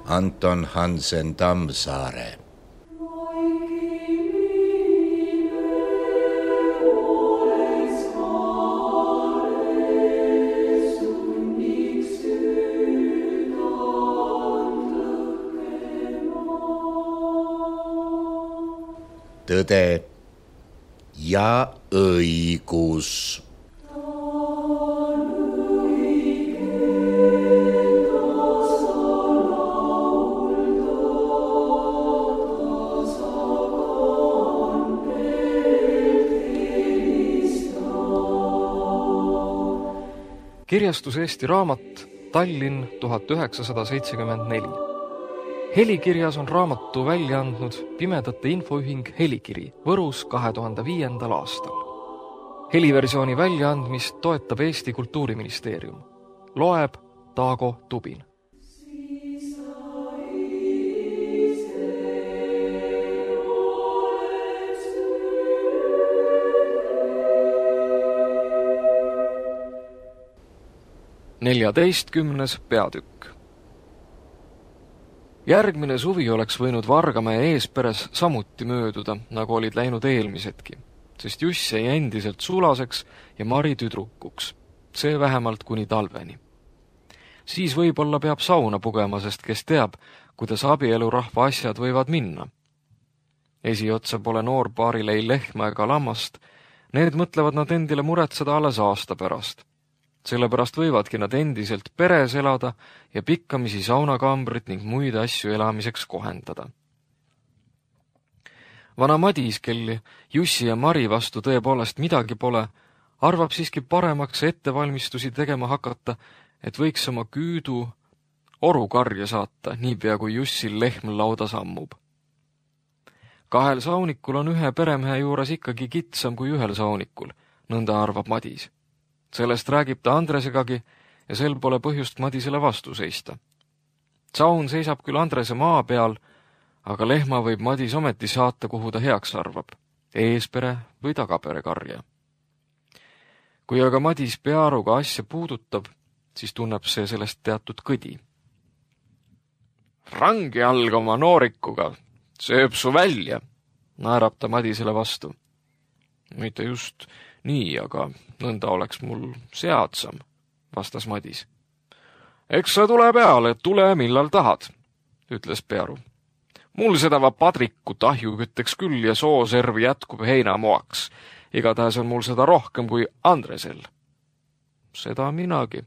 Anton Hansen Tammsaare. Tõde ja õigus. Kirjastus Eesti Raamat, Tallinn 1974. Helikirjas on raamatu välja andnud Pimedate Infoühing Helikiri Võrus 2005. aastal. Heliversiooni väljaandmist toetab Eesti Kultuuriministeerium. Loeb Taago Tubin. Neljateistkümnes peatükk. Järgmine suvi oleks võinud Vargamäe Eesperes samuti mööduda, nagu olid läinud eelmisedki, sest Juss jäi endiselt sulaseks ja Mari tüdrukuks, see vähemalt kuni talveni. Siis võib-olla peab sauna pugema, sest kes teab, kuidas abielurahva asjad võivad minna. Esiotsa pole noorpaaril ei lehma ega lammast, need mõtlevad nad endile muretseda alles aasta pärast. Sellepärast võivadki nad endiselt peres elada ja pikkamisi saunakambrit ning muid asju elamiseks kohendada. Vana Madis, kel Jussi ja Mari vastu tõepoolest midagi pole, arvab siiski paremaks ettevalmistusi tegema hakata, et võiks oma küüdu orukarja saata, niipea kui Jussil lehm lauda sammub. Kahel saunikul on ühe peremehe juures ikkagi kitsam kui ühel saunikul, nõnda arvab Madis. Sellest räägib ta Andresegagi ja sel pole põhjust Madisele vastu seista. Saun seisab küll Andrese maa peal, aga lehma võib Madis ometi saata, kuhu ta heaks arvab, eespere või tagapere karja. Kui aga Madis peaaruga asja puudutab, siis tunneb see sellest teatud kõdi. Rangi alg oma noorikuga, sööb su välja, naerab ta Madisele vastu. Mitte just nii, aga nõnda oleks mul seadsam, vastas Madis. Eks sa tule peale, tule millal tahad, ütles Pearu. Mul seda padriku tahjukütteks küll ja sooservi jätkub heinamoaks. Igatahes on mul seda rohkem kui Andresel. Seda minagi,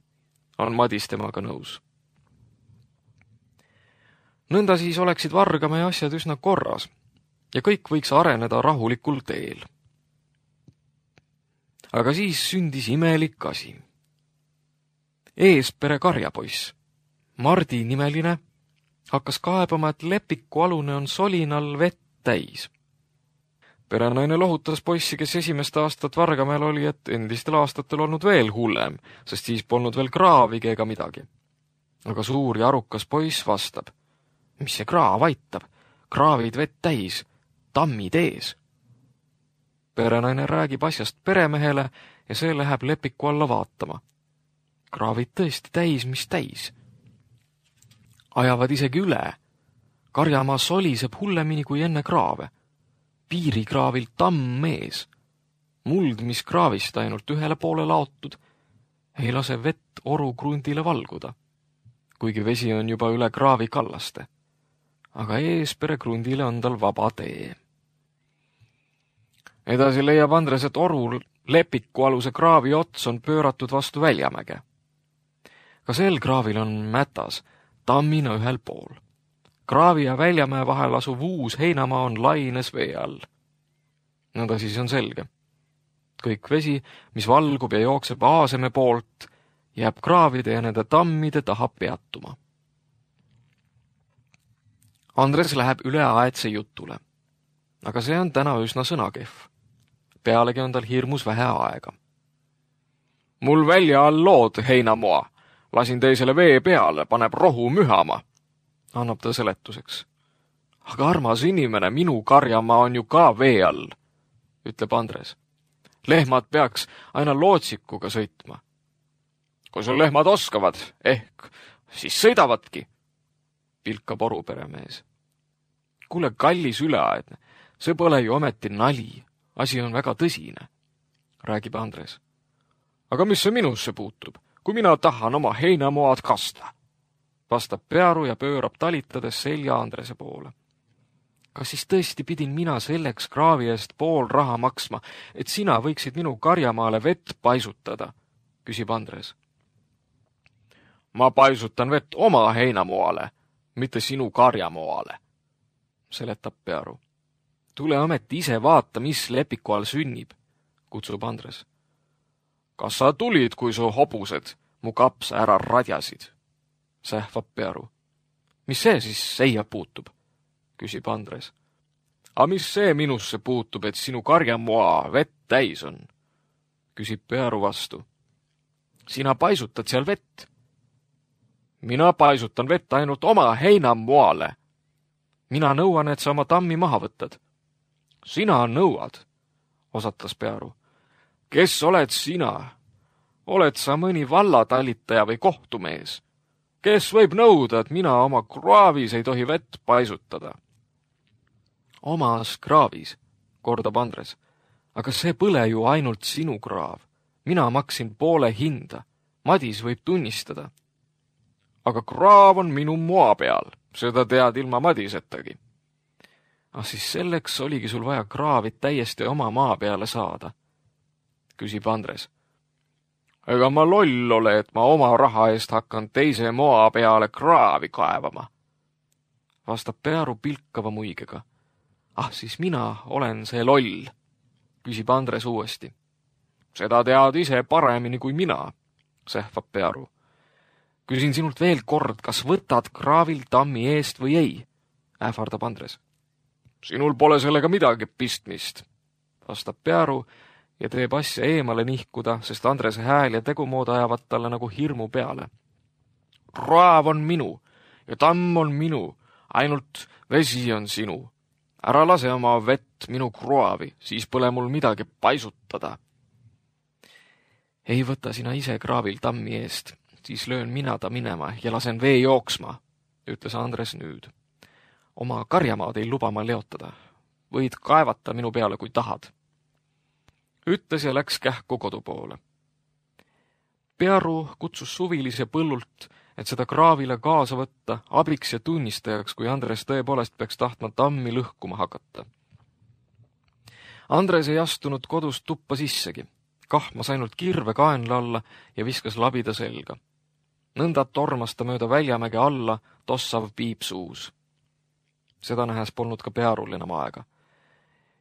on Madis temaga nõus. Nõnda siis oleksid Vargamäe asjad üsna korras ja kõik võiks areneda rahulikul teel. Aga siis sündis imelik asi. Eespere karjapoiss, Mardi nimeline, hakkas kaebama, et Lepiku alune on solinal vett täis. Perenaine lohutas poissi, kes esimest aastat Vargamäel oli, et endistel aastatel olnud veel hullem, sest siis polnud veel kraavigi ega midagi. Aga suur ja arukas poiss vastab. Mis see kraav aitab? Kraavid vett täis, tammid ees. Perenaine räägib asjast peremehele ja see läheb Lepiku alla vaatama. Kraavid tõesti täis, mis täis. Ajavad isegi üle. Karjamaa soliseb hullemini kui enne kraave. Piirikraavil tamm ees. Muld, mis kraavist ainult ühele poole laotud, ei lase vett oru krundile valguda, kuigi vesi on juba üle kraavi kallaste. Aga eespere krundile on tal vaba tee. Edasi leiab Andres, et oru Lepiku aluse kraavi ots on pööratud vastu Väljamäge. Ka sel kraavil on mätas, tammina ühel pool. Kraavi ja Väljamäe vahel asuv uus heinamaa on laines vee all. Nõnda siis on selge. Kõik vesi, mis valgub ja jookseb Aaseme poolt, jääb kraavide ja nende tammide taha peatuma. Andres läheb üle aetse jutule. Aga see on täna üsna sõnakehv. Pealegi on tal hirmus vähe aega. Mul välja all lood heinamoa. Lasin teisele vee peale, paneb rohu mühama, annab ta seletuseks. Aga armas inimene, minu karjamaa on ju ka vee all, ütleb Andres. Lehmad peaks aina lootsikuga sõitma. Kui sul lehmad oskavad, ehk siis sõidavadki. pilkab oruperemees. Kuule, kallis üleaedne, see pole ju ometi nali, asi on väga tõsine, räägib Andres. Aga mis see minusse puutub, kui mina tahan oma heinamoad kasta? Vastab Pearu ja pöörab talitades selja Andrese poole. Kas siis tõesti pidin mina selleks kraavi eest pool raha maksma, et sina võiksid minu karjamaale vett paisutada, küsib Andres. Ma paisutan vett oma heinamoale, mitte sinu karjamoale, seletab Pearu. Tule ometi ise vaata, mis lepiku all sünnib, kutsub Andres. Kas sa tulid, kui su hobused mu kapsa ära radjasid? Sähvab Pearu. Mis see siis seia puutub? Küsib Andres. A mis see minusse puutub, et sinu karjamoa vett täis on? Küsib Pearu vastu. Sina paisutad seal vett. Mina paisutan vett ainult oma heinamoale. Mina nõuan, et sa oma tammi maha võtad. Sina nõuad, osatas Pearu. Kes oled sina? Oled sa mõni vallatalitaja või kohtumees? Kes võib nõuda, et mina oma kraavis ei tohi vett paisutada? Omas kraavis, kordab Andres. Aga see põle ju ainult sinu kraav. Mina maksin poole hinda. Madis võib tunnistada. Aga kraav on minu moa peal. Seda tead ilma Madisettagi. Siis selleks oligi sul vaja kraavit täiesti oma maa peale saada, küsib Andres. Ega ma loll ole, et ma oma raha eest hakkan teise moa peale kraavi kaevama, vastab Pearu pilkava muigega. Siis mina olen see loll, küsib Andres uuesti. Seda tead ise paremini kui mina, sähvab Pearu. Küsin sinult veel kord, kas võtad kraavil tammi eest või ei, ähvardab Andres. Sinul pole sellega midagi pistmist, vastab Pearu ja teeb asja eemale nihkuda, sest Andrese hääl ja tegumood ajavad talle nagu hirmu peale. Kraav on minu ja tamm on minu, ainult vesi on sinu. Ära lase oma vett minu kraavi, siis pole mul midagi paisutada. Ei võta sina ise kraavil tammi eest, siis löön mina ta minema ja lasen vee jooksma, ütles Andres nüüd. Oma karjamaad ei luba ma leotada. Võid kaevata minu peale, kui tahad. Ütles ja läks kähku kodu poole. Pearu kutsus suvilise põllult, et seda kraavile kaasa võtta abiks ja tunnistajaks, kui Andres tõepoolest peaks tahtma tammi lõhkuma hakata. Andres ei astunud kodust tuppa sissegi. Kahmas ainult kirve kaenla alla ja viskas labida selga. Nõnda tormas ta mööda väljamäge alla, tossav piip suus. Seda nähes polnud ka Pearul enam aega.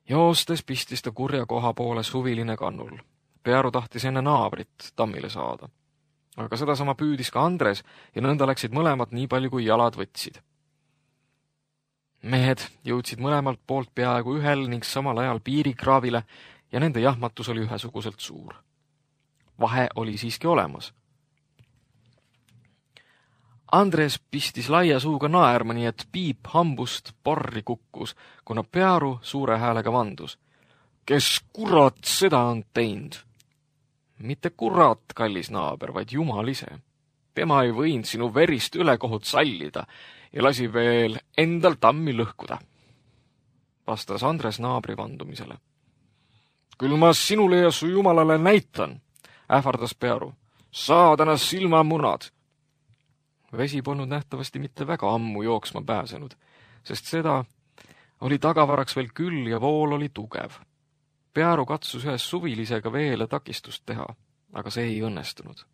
Joostes pistis ta kurja koha poole suviline kannul. Pearu tahtis enne naabrit tammile saada. Aga sedasama püüdis ka Andres ja nõnda läksid mõlemad nii palju, kui jalad võtsid. Mehed jõudsid mõlemalt poolt peaaegu ühel ning samal ajal piirikraavile ja nende jahmatus oli ühesuguselt suur. Vahe oli siiski olemas. Andres pistis laia suuga naerma, nii et piip hambust porri kukkus, kuna Pearu suure häälega vandus. Kes kurat seda on teinud? Mitte kurat, kallis naaber, vaid jumal ise. Tema ei võinud sinu verist ülekohut sallida ja lasi veel endal tammi lõhkuda, vastas Andres naabri vandumisele. Küll ma sinule ja su jumalale näitan, ähvardas Pearu. Saadana silmamunad. Vesi polnud nähtavasti mitte väga ammu jooksma pääsenud, sest seda oli tagavaraks veel küll ja vool oli tugev. Pearu katsus ühes suvilisega veele takistust teha, aga see ei õnnestunud.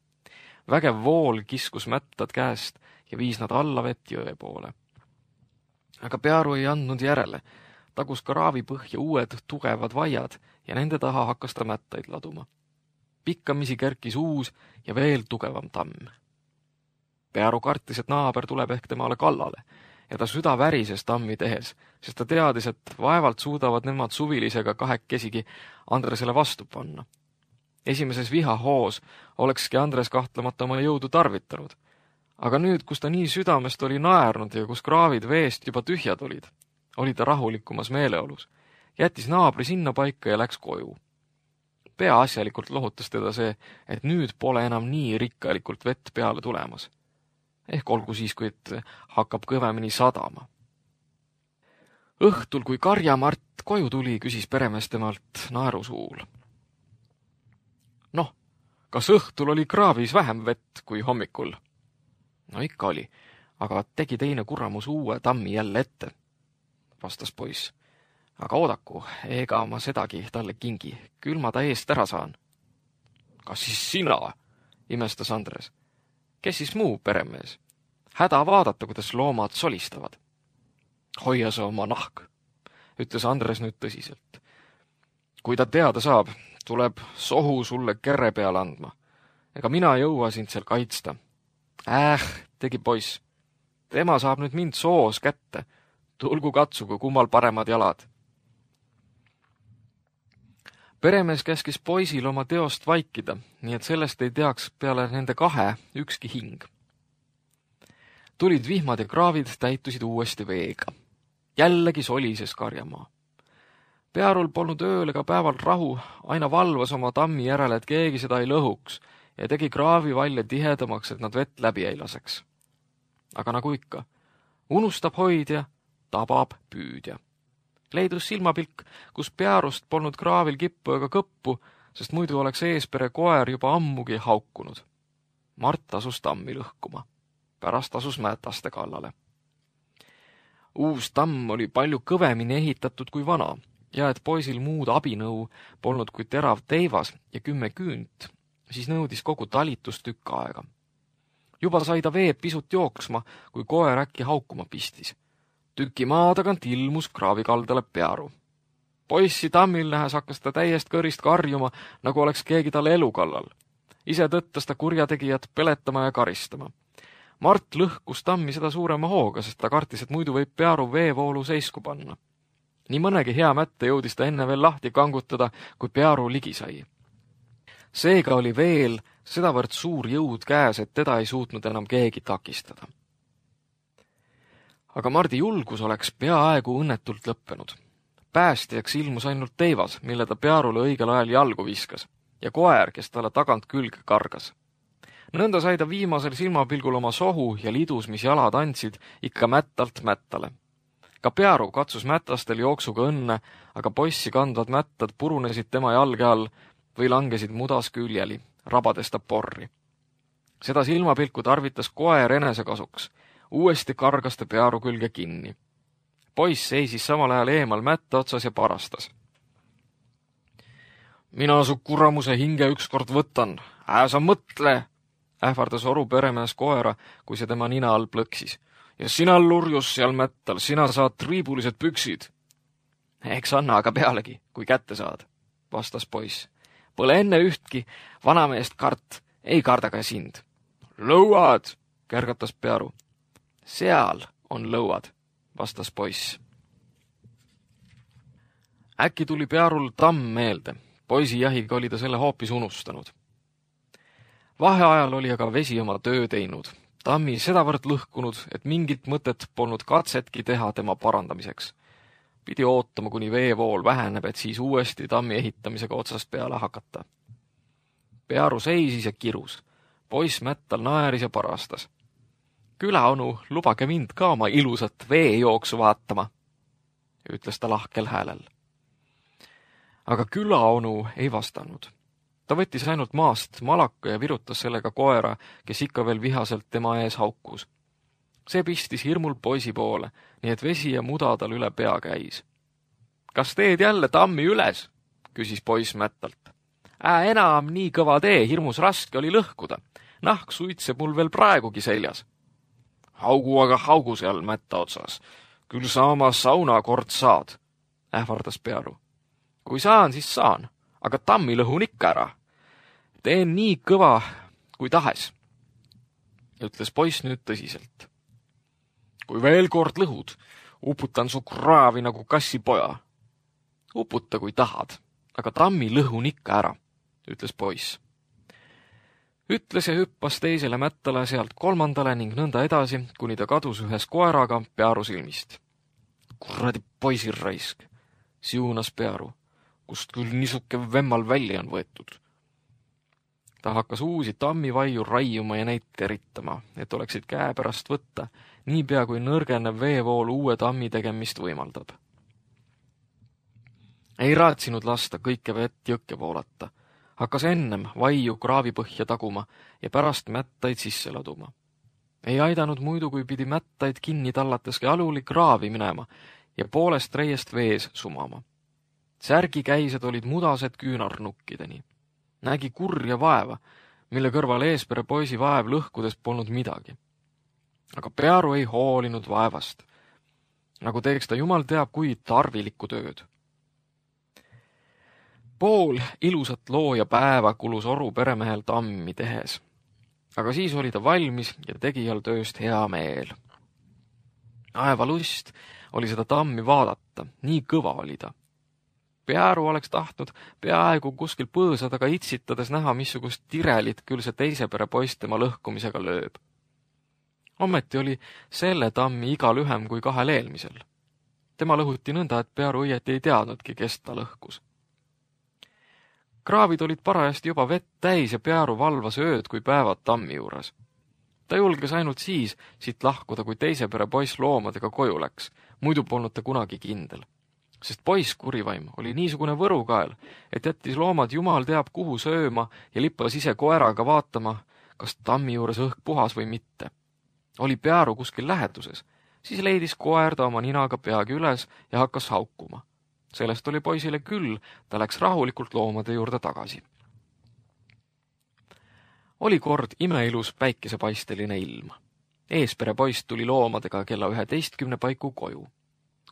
Vägev vool kiskus mättad käest ja viis nad alla vett jõe poole. Aga Pearu ei andnud järele, tagus kraavi põhja uued tugevad vaiad ja nende taha hakkas ta mättaid laduma. Pikkamisi kerkis uus ja veel tugevam tamm. Pearu kartis, et naaber tuleb ehk temale kallale ja ta süda värises tammi tehes, sest ta teadis, et vaevalt suudavad nemad suvilisega kahekesigi Andresele vastu panna. Esimeses vihahoos olekski Andres kahtlemata oma jõudu tarvitanud. Aga nüüd, kus ta nii südamest oli naernud ja kus kraavid veest juba tühjad olid, oli ta rahulikumas meeleolus. Jättis naabri sinna paika ja läks koju. Peaasjalikult lohutas teda see, et nüüd pole enam nii rikkalikult vett peale tulemas. ehk olgu siis, kui hakkab kõvemini sadama. Õhtul, kui Karja-Mart koju tuli, küsis peremees temalt naerusuul. Noh, kas õhtul oli kraavis vähem vett kui hommikul? No ikka oli, aga tegi teine kuramus uue tammi jälle ette, vastas poiss. Aga oodaku, ega ma sedagi talle kingi, küll ma ta eest ära saan. Kas siis sina? Imestas Andres. Kes siis muu peremees? Häda vaadata, kuidas loomad solistavad. Hoia sa oma nahk, ütles Andres nüüd tõsiselt. Kui ta teada saab, tuleb sohu sulle kere peale andma. Ega mina jõua sind seal kaitsta. Tegi poiss. Tema saab nüüd mind soos kätte. Tulgu katsugu, kummal paremad jalad. Peremees käskis poisil oma teost vaikida, nii et sellest ei teaks peale nende kahe ükski hing. Tulid vihmad ja kraavid täitusid uuesti veega. Jällegi solises Karjamaa. Pearul polnud ööl ega päeval rahu, aina valvas oma tammi järele, et keegi seda ei lõhuks ja tegi kraavi valja tihedamaks, et nad vett läbi ei laseks. Aga nagu ikka, unustab hoidja, tabab püüdja. Leidus silmapilk, kus Pearust polnud kraavil kippu ega kõppu, sest muidu oleks eespere koer juba ammugi haukunud. Mart asus tammi lõhkuma. Pärast asus mätaste kallale. Uus tamm oli palju kõvemini ehitatud kui vana ja et poisil muud abinõu polnud kui terav teivas ja 10 küünt, siis nõudis kogu talitust tükk aega. Juba sai ta veeb pisut jooksma, kui koer äkki haukuma pistis. Tüki maa tagant ilmus kraavikaldale Pearu. Poissi tammil nähes hakkas ta täiest kõrist karjuma, nagu oleks keegi talle elu kallal. Ise tõttas ta kurjategijat peletama ja karistama. Mart lõhkus tammi seda suurema hooga, sest ta kartis, et muidu võib Pearu veevoolu seisku panna. Nii mõnegi hea mätte jõudis ta enne veel lahti kangutada, kui Pearu ligi sai. Seega oli veel sedavõrd suur jõud käes, et teda ei suutnud enam keegi takistada. Aga Mardi julgus oleks peaaegu õnnetult lõppenud. Päästjaks ilmus ainult teivas, mille ta Pearule õigel ajal jalgu viskas, ja koer, kes talle tagant külge kargas. Nõnda sai ta viimasel silmapilgul oma sohu ja lidus, mis jalad andsid, ikka mättalt mättale. Ka Pearu katsus mätastel jooksuga õnne, aga poissi kandvad mättad purunesid tema jalge all või langesid mudas küljeli, rabades ta porri. Seda silmapilku tarvitas koer enesekasuks. Uuesti kargas ta Pearu külge kinni. Poiss seisis samal ajal eemal mätta otsas ja parastas. Mina su kuramuse hinge ükskord võtan. Sa mõtle, ähvardas oru peremees koera, kui see tema nina all plõksis. Ja sina lurjus seal mättal, sina saad triibulised püksid. Eks anna aga pealegi, kui kätte saad, vastas poiss. Pole enne ühtki vanameest kart, ei karda ka sind. Lõuad, kärgatas Pearu. Seal on lõuad, vastas poiss. Äkki tuli Pearul tamm meelde. Poisi jahiga oli ta selle hoopis unustanud. Vaheajal oli aga vesi oma töö teinud. Tammi sedavõrd lõhkunud, et mingit mõtet polnud katsetki teha tema parandamiseks. Pidi ootama, kuni veevool väheneb, et siis uuesti tammi ehitamisega otsast peale hakata. Pearu seisis ja kirus. Poiss mättal naeris ja parastas. Külaonu, lubage mind ka oma ilusat veejooksu vaatama, ütles ta lahkel häälel. Aga külaonu ei vastanud. Ta võttis ainult maast malaka ja virutas sellega koera, kes ikka veel vihaselt tema ees haukus. See pistis hirmul poisi poole, nii et vesi ja muda tal üle pea käis. Kas teed jälle tammi üles? Küsis poiss mättalt. Enam nii kõva tee, hirmus raske oli lõhkuda. Nahk suitseb mul veel praegugi seljas. Haugu aga haugu seal mätta otsas. Küll sa oma sauna kord saad, ähvardas Pearu. Kui saan, siis saan, aga tammi lõhun ikka ära. Teen nii kõva kui tahes, ütles poiss nüüd tõsiselt. Kui veel kord lõhud, uputan su kraavi nagu kassipoja. Uputa kui tahad, aga tammi lõhun ikka ära, ütles poiss. Ütles ja hüppas teisele mättale, sealt kolmandale ning nõnda edasi, kuni ta kadus ühes koeraga Pearu silmist. Kuradi poisirraisk, siunas Pearu, kust küll niisuke vemmal välja on võetud. Ta hakkas uusi tammivaiu raiuma ja neid teritama, et oleksid käe pärast võtta, niipea kui nõrgenev veevool uue tammi tegemist võimaldab. Ei raatsinud lasta kõike vett jõkke voolata. Hakkas ennem vaiu kraavipõhja taguma ja pärast mättaid sisse laduma. Ei aidanud muidu, kui pidi mättaid kinni tallateski aluli kraavi minema ja poolest reiest vees sumama. Särgikäised olid mudased küünarnukkideni. Nägi kurja vaeva, mille kõrval Eespere poisi vaev lõhkudes polnud midagi. Aga Pearu ei hoolinud vaevast, nagu teeks ta jumal teab kui tarvilikku tööd. Pool ilusat looja päeva kulus Oru peremehel tammi tehes, aga siis oli ta valmis ja tegijal tööst hea meel. Aeva lust oli seda tammi vaadata, nii kõva oli ta. Pearu oleks tahtnud peaaegu kuskil põõsa taga itsitades näha, missugust tirelit küll see teise pere poist tema lõhkumisega lööb. Ometi oli selle tammi iga lühem kui kahel eelmisel. Tema lõhuti nõnda, et Pearu õieti ei teadnudki, kes ta lõhkus. Kraavid olid parajasti juba vett täis ja Pearu valvas ööd kui päevad tammi juures. Ta julges ainult siis siit lahkuda, kui teise pere poiss loomadega koju läks, muidu polnud ta kunagi kindel. Sest poiss kurivaim oli niisugune võrukael, et jättis loomad jumal teab kuhu sööma ja lippas ise koeraga vaatama, kas tammi juures õhk puhas või mitte. Oli Pearu kuskil läheduses, siis leidis koer ta oma ninaga peagi üles ja hakkas haukuma. Sellest oli poisile küll, ta läks rahulikult loomade juurde tagasi. Oli kord imeilus päikesepaisteline ilm. Eespere poiss tuli loomadega kella 11 paiku koju.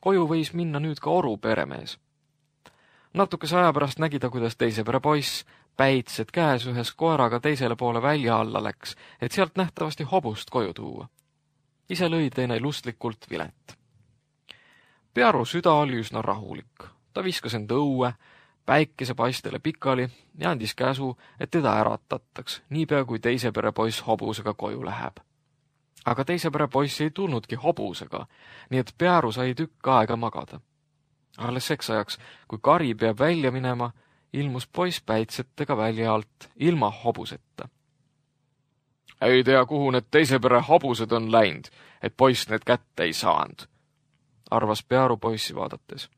Koju võis minna nüüd ka Oru peremees. Natukese aja pärast nägi ta, kuidas teise pere poiss päitsed käes ühes koeraga teisele poole välja alla läks, et sealt nähtavasti hobust koju tuua. Ise lõi teine lustlikult vilet. Pearu süda oli üsna rahulik. Ta viskas end õue, päikesepaistele pikali ja andis käsu, et teda äratataks, niipea kui teise pere poiss hobusega koju läheb. Aga teise pere poiss ei tulnudki hobusega, nii et Pearu sai tükk aega magada. Alles seks ajaks, kui kari peab välja minema, ilmus poiss päitsetega välja alt, ilma hobuseta. Ei tea, kuhu need teise pere hobused on läinud, et poiss need kätte ei saanud, arvas Pearu poissi vaadates.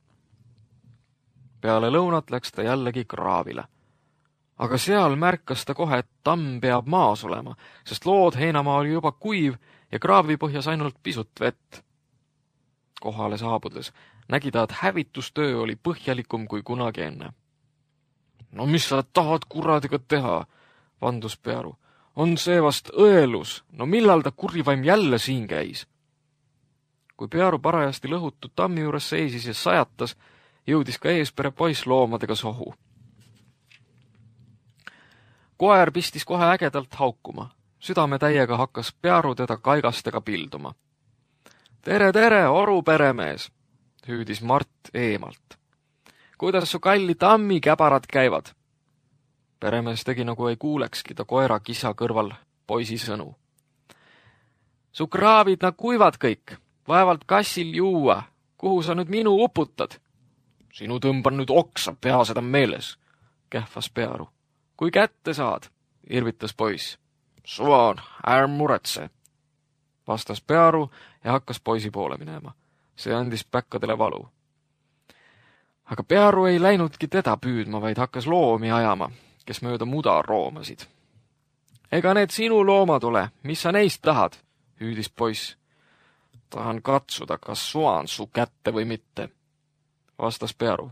Peale lõunat läks ta jällegi kraavile. Aga seal märkas ta kohe, et tamm peab maas olema, sest lood heinamaa oli juba kuiv ja kraavi põhjas ainult pisut vett. Kohale saabudes nägi ta, et hävitustöö oli põhjalikum kui kunagi enne. No mis sa tahad kuradiga teha, vandus Pearu. On see vast õelus, no millal ta kurivaim jälle siin käis? Kui Pearu parajasti lõhutud tammi juures seisis ja sajatas, jõudis ka Eespere poiss loomadega sohu. Koer pistis kohe ägedalt haukuma. Südametäiega hakkas Pearu teda kaigastega pilduma. Tere, tere, Oru peremees, hüüdis Mart eemalt. Kuidas su kalli tammi käbarad käivad? Peremees tegi nagu ei kuulekski ta koera kisa kõrval poisi sõnu. Su kraavid nad kuivad kõik, vaevalt kassil juua. Kuhu sa nüüd minu uputad? Sinu tõmban nüüd oksa, pea seda meeles, kähvas Pearu. Kui kätte saad, irvitas poiss. Suvan, ärm muretse, vastas Pearu ja hakkas poisi poole minema. See andis päkkadele valu. Aga Pearu ei läinudki teda püüdma, vaid hakkas loomi ajama, kes mööda muda roomasid. Ega need sinu loomad ole, mis sa neist tahad, hüüdis poiss. Tahan katsuda, kas suan su kätte või mitte, vastas Pearu.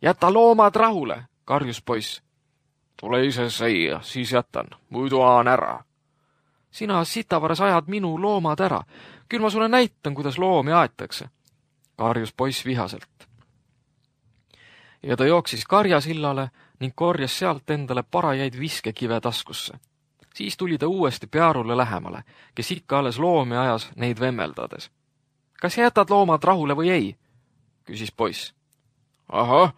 Jäta loomad rahule, karjus poiss. Tule ise seia, siis jätan, muidu aan ära. Sina sitavaras ajad minu loomad ära. Küll ma sulle näitan, kuidas loomi aetakse, karjus poiss vihaselt. Ja ta jooksis karjasillale ning korjas sealt endale parajaid viskekive taskusse. Siis tuli ta uuesti Pearule lähemale, kes ikka alles loomi ajas neid vemmeldades. Kas jätad loomad rahule või ei? Küsis poiss. Ahah,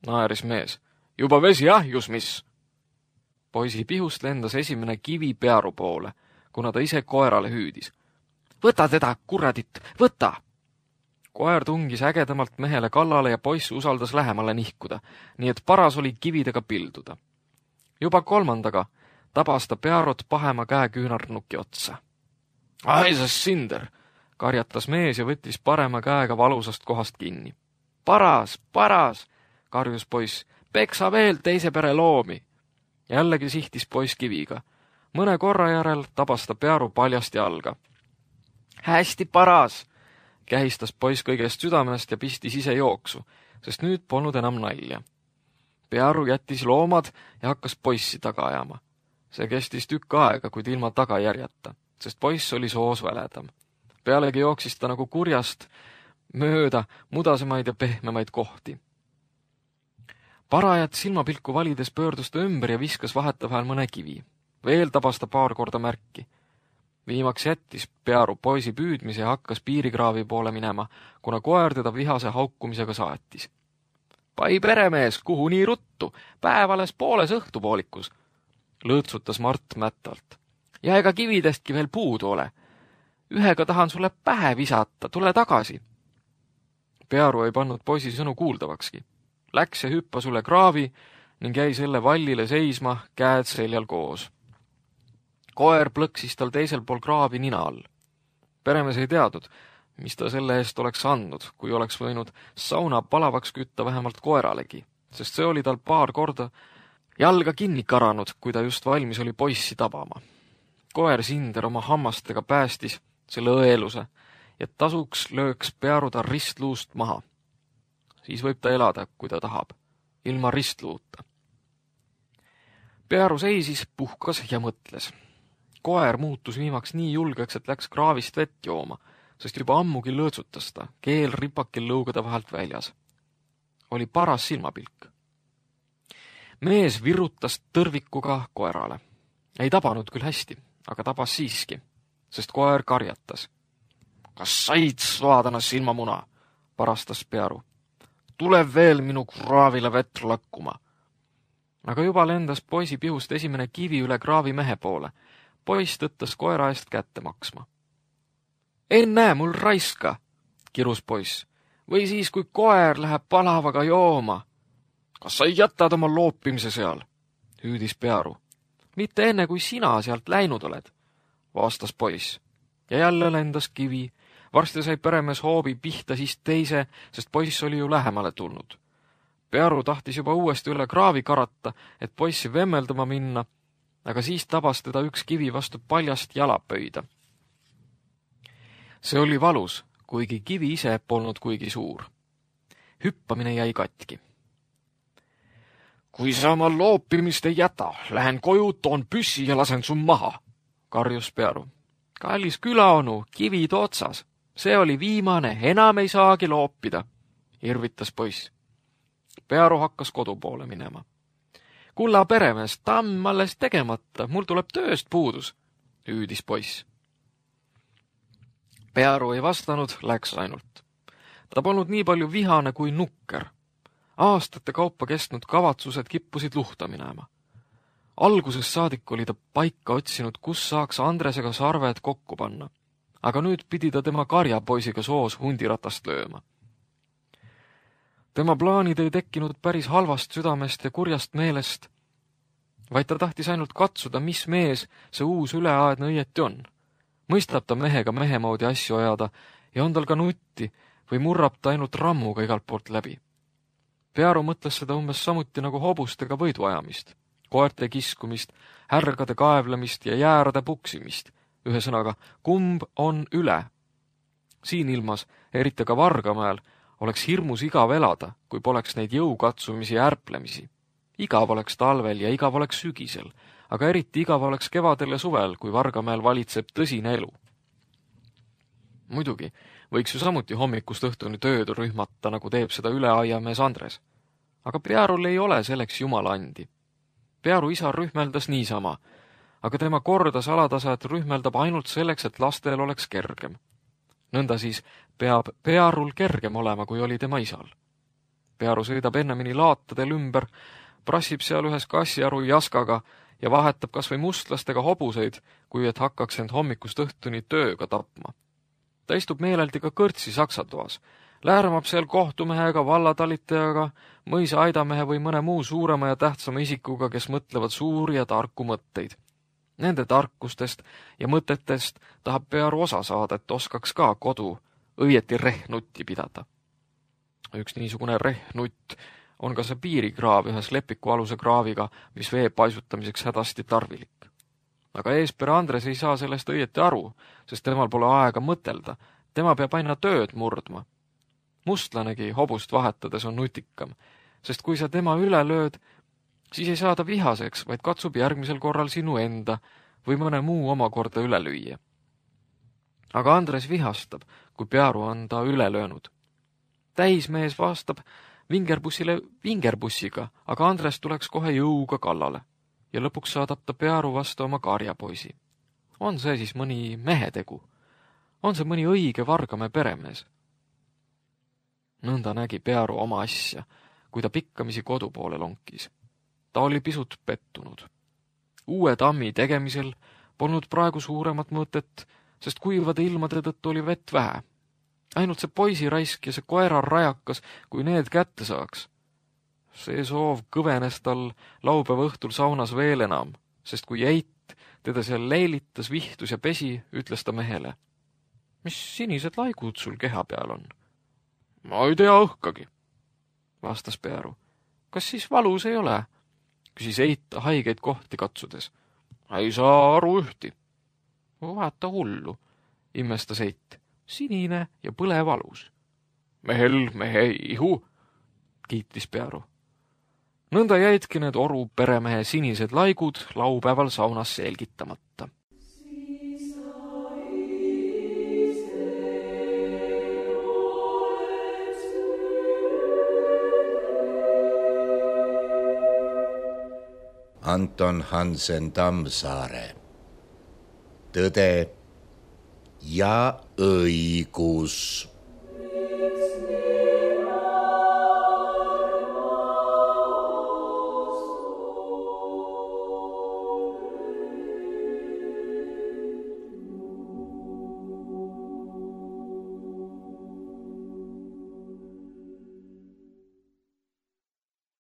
naeris mees. Juba vesi ahjus, mis? Poisi pihust lendas esimene kivi Pearu poole, kuna ta ise koerale hüüdis. Võta teda, kuradit, võta! Koer tungis ägedamalt mehele kallale ja poiss usaldas lähemale nihkuda, nii et paras oli kividega pilduda. Juba kolmandaga tabas ta Pearut pahema käe küünarnuki otsa. Aisas sinder, karjatas mees ja võttis parema käega valusast kohast kinni. Paras, karjus poiss, peksa veel teise pere loomi. Jällegi sihtis poiss kiviga. Mõne korra järel tabas ta Pearu paljast jalga. Hästi paras, kähistas poiss kõigest südamest ja pistis ise jooksu, sest nüüd polnud enam nalja. Pearu jättis loomad ja hakkas poissi taga ajama. See kestis tükk aega, kuid ilma tagajärjata, sest poiss oli soos väledam. Pealegi jooksis ta nagu kurjast mööda mudasemaid ja pehmemaid kohti. Parajat silmapilku valides pöördus ta ümber ja viskas vahetevahel mõne kivi. Veel tabas ta paar korda märki. Viimaks jättis Pearu poisi püüdmise ja hakkas piirikraavi poole minema, kuna koer teda vihase haukumisega saatis. Pai peremees, kuhu nii ruttu? Päev alles pooles õhtupoolikus, lõõtsutas Mart mättalt. Ja ega kividestki veel puudu ole. Ühega tahan sulle pähe visata, tule tagasi. Pearu ei pannud poisi sõnu kuuldavakski. Läks ja hüppas üle kraavi ning jäi selle vallile seisma, käed seljal koos. Koer plõksis tal teisel pool kraavi nina all. Peremees ei teadnud, mis ta selle eest oleks andnud, kui oleks võinud sauna palavaks kütta vähemalt koeralegi, sest see oli tal paar korda jalga kinni karanud, kui ta just valmis oli poissi tabama. Koer Sinder oma hammastega päästis selle õeluse, et tasuks lööks Pearu ta ristluust maha. Siis võib ta elada, kui ta tahab, ilma ristluuta. Pearu seisis, puhkas ja mõtles. Koer muutus viimaks nii julgeks, et läks kraavist vett jooma, sest juba ammugi lõõtsutas ta, keel ripakil lõugade vahelt väljas. Oli paras silmapilk. Mees virutas tõrvikuga koerale. Ei tabanud küll hästi, aga tabas siiski, sest koer karjatas. Kas said svaadana silmamuna, parastas Pearu. Tule veel minu kraavile vett lakkuma. Aga juba lendas poisi pihust esimene kivi üle kraavi mehe poole. Poiss tõttas koera eest kätte maksma. Ennäe, mul raiska, kirus poiss. Või siis, kui koer läheb palavaga jooma. Kas sa jätad oma loopimise seal? Hüüdis Pearu. Mitte enne, kui sina sealt läinud oled, vastas poiss. Ja jälle lendas kivi. Varsti sai peremees hoobi pihta siis teise, sest poiss oli ju lähemale tulnud. Pearu tahtis juba uuesti üle kraavi karata, et poissi vemmeldama minna, aga siis tabas teda üks kivi vastu paljast jalapöida. See oli valus, kuigi kivi ise polnud kuigi suur. Hüppamine jäi katki. Kui sa oma loopimist ei jäta, lähen koju, toon püssi ja lasen su maha, karjus Pearu. Kallis külaonu, kivid otsas. See oli viimane, enam ei saagi loopida, irvitas poiss. Pearu hakkas kodu poole minema. Kulla peremees, tamm alles tegemata, mul tuleb tööst puudus, hüüdis poiss. Pearu ei vastanud, läks ainult. Ta polnud nii palju vihane kui nukker. Aastate kaupa kestnud kavatsused kippusid luhta minema. Alguses saadik oli ta paika otsinud, kus saaks Andresega sarved kokku panna, aga nüüd pidi ta tema karjapoisiga soos hundiratast lööma. Tema plaanid ei tekkinud päris halvast südamest ja kurjast meelest, vaid ta tahtis ainult katsuda, mis mees see uus üleaedne õieti on. Mõistab ta mehega mehemoodi asju ajada ja on tal ka nutti või murrab ta ainult rammuga igalt poolt läbi. Pearu mõtles seda umbes samuti nagu hobustega võiduajamist, koerte kiskumist, härgade kaevlemist ja jäärade puksimist. Ühesõnaga, kumb on üle. Siin ilmas, eriti ka Vargamäel, oleks hirmus igav elada, kui poleks neid jõukatsumisi ja ärplemisi. Igav oleks talvel ja igav oleks sügisel, aga eriti igav oleks kevadel ja suvel, kui Vargamäel valitseb tõsine elu. Muidugi võiks ju samuti hommikust õhtuni tööd rühmata, nagu teeb seda üleaiamees Andres. Aga Pearul ei ole selleks jumala andi. Pearu isa rühmeldas niisama, aga tema kordas alatasa, et rühmeldab ainult selleks, et lastel oleks kergem. Nõnda siis peab Pearul kergem olema, kui oli tema isal. Pearu sõidab ennemini laatadel ümber, prassib seal ühes kassiaru jaskaga ja vahetab kas või mustlastega hobuseid, kui et hakkaks end hommikust õhtuni tööga tapma. Ta istub meeleldi ka kõrtsi saksatoas, lääramab seal kohtumehega, vallatalitajaga, mõisa aidamehe või mõne muu suurema ja tähtsama isikuga, kes mõtlevad suuri ja tarku mõtteid. Nende tarkustest ja mõtetest tahab Pearu osa saada, et oskaks ka kodu õieti rehnutti pidada. Üks niisugune rehnutt on ka see piirikraav ühes lepikualuse kraaviga, mis vee paisutamiseks hädasti tarvilik. Aga eespere Andres ei saa sellest õieti aru, sest temal pole aega mõtelda. Tema peab aina tööd murdma. Mustlanegi hobust vahetades on nutikam, sest kui sa tema üle lööd, siis ei saa ta vihaseks, vaid katsub järgmisel korral sinu enda või mõne muu omakorda üle lüüa. Aga Andres vihastab, kui Pearu on ta üle löönud. Täismees vastab vingerbussile vingerbussiga, aga Andres tuleks kohe jõuga kallale ja lõpuks saadab ta Pearu vastu oma karjapoisi. On see siis mõni mehetegu? On see mõni õige Vargamäe peremees? Nõnda nägi Pearu oma asja, kui ta pikkamisi kodu poole lonkis. Ta oli pisut pettunud. Uue tammi tegemisel polnud praegu suuremat mõtet, sest kuivade ilmade tõttu oli vett vähe. Ainult see poisiraisk ja see koerar rajakas, kui need kätte saaks. See soov kõvenes tal laupäeva õhtul saunas veel enam, sest kui Eit teda seal leilitas, vihtus ja pesi, ütles ta mehele. Mis sinised laigud sul keha peal on? Ma ei tea õhkagi, vastas Pearu. Kas siis valus ei ole? Küsis Eit haigeid kohti katsudes. Ei saa aru ühti. Vaata hullu, imestas Eit. Sinine ja põle valus. Mehel mehe ihu, kiitis Pearu. Nõnda jäidki need Oru peremehe sinised laigud laupäeval saunas selgitamata. Anton Hansen Tammsaare. Tõde ja õigus.